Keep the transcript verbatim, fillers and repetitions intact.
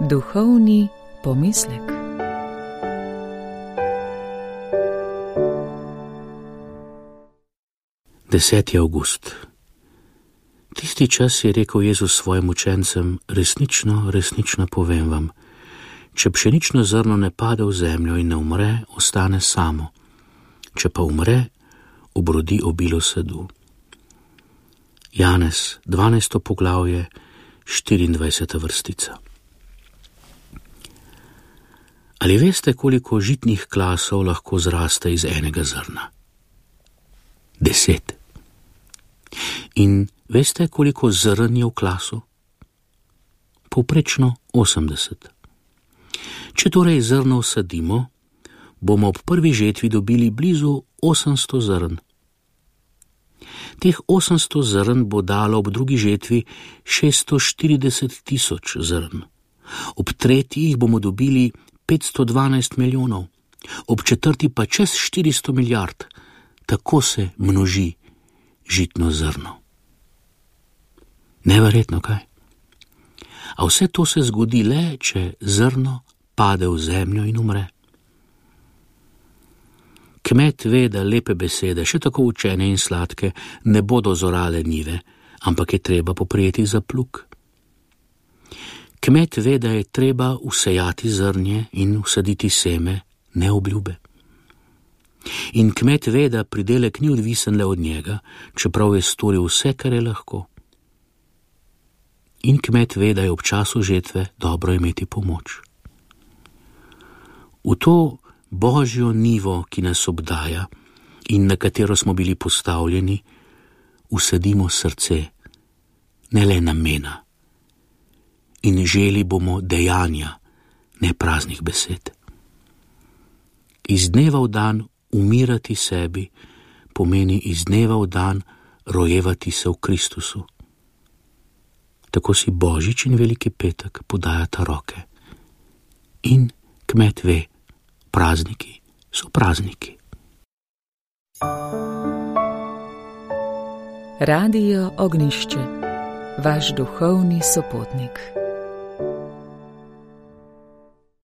Duhovni pomislek. deseti avgust. Tisti čas je rekel Jezus svojim učencem: resnično, resnično povem vam, če pšenično zrno ne pade v zemljo in ne umre, ostane samo. Če pa umre, obrodi obilo sadu. Janez, dvanajsto poglavje, štiriindvajseta vrstica. Ali veste, koliko žitnih klasov lahko zraste iz enega zrna? Deset. In veste, koliko zrn je v klasu? Povprečno osemdeset. Če torej zrno vsadimo, bomo ob prvi žetvi dobili blizu osemsto zrn. Teh osemsto zrn bo dalo ob drugi žetvi šeststo štirideset tisoč zrn. Ob tretji jih bomo dobili petsto dvanajst milijonov, ob četrti pa čez štiristo milijard. Tako se množi žitno zrno. Neverjetno, kaj? A vse to se zgodi le, če zrno pade v zemljo in umre. Kmet ve, da lepe besede, še tako učene in sladke, ne bodo zorale njive, ampak je treba poprijeti za plug. Kmet ve, da je treba vsejati zrnje in vsaditi seme, ne obljube. In kmet ve, da pridelek ni odvisen le od njega, čeprav je storil vse, kar je lahko. In kmet ve, da je ob času žetve dobro imeti pomoč. V to božjo nivo, ki nas obdaja in na katero smo bili postavljeni, vsadimo srce, ne le namena. In želi bomo dejanja, ne praznih besed. Iz dneva v dan umirati sebi pomeni iz dneva v dan rojevati se v Kristusu. Tako si Božič in Veliki petek podajata roke. In kmet ve, prazniki so prazniki. Radio Ognjišče, vaš duhovni sopotnik.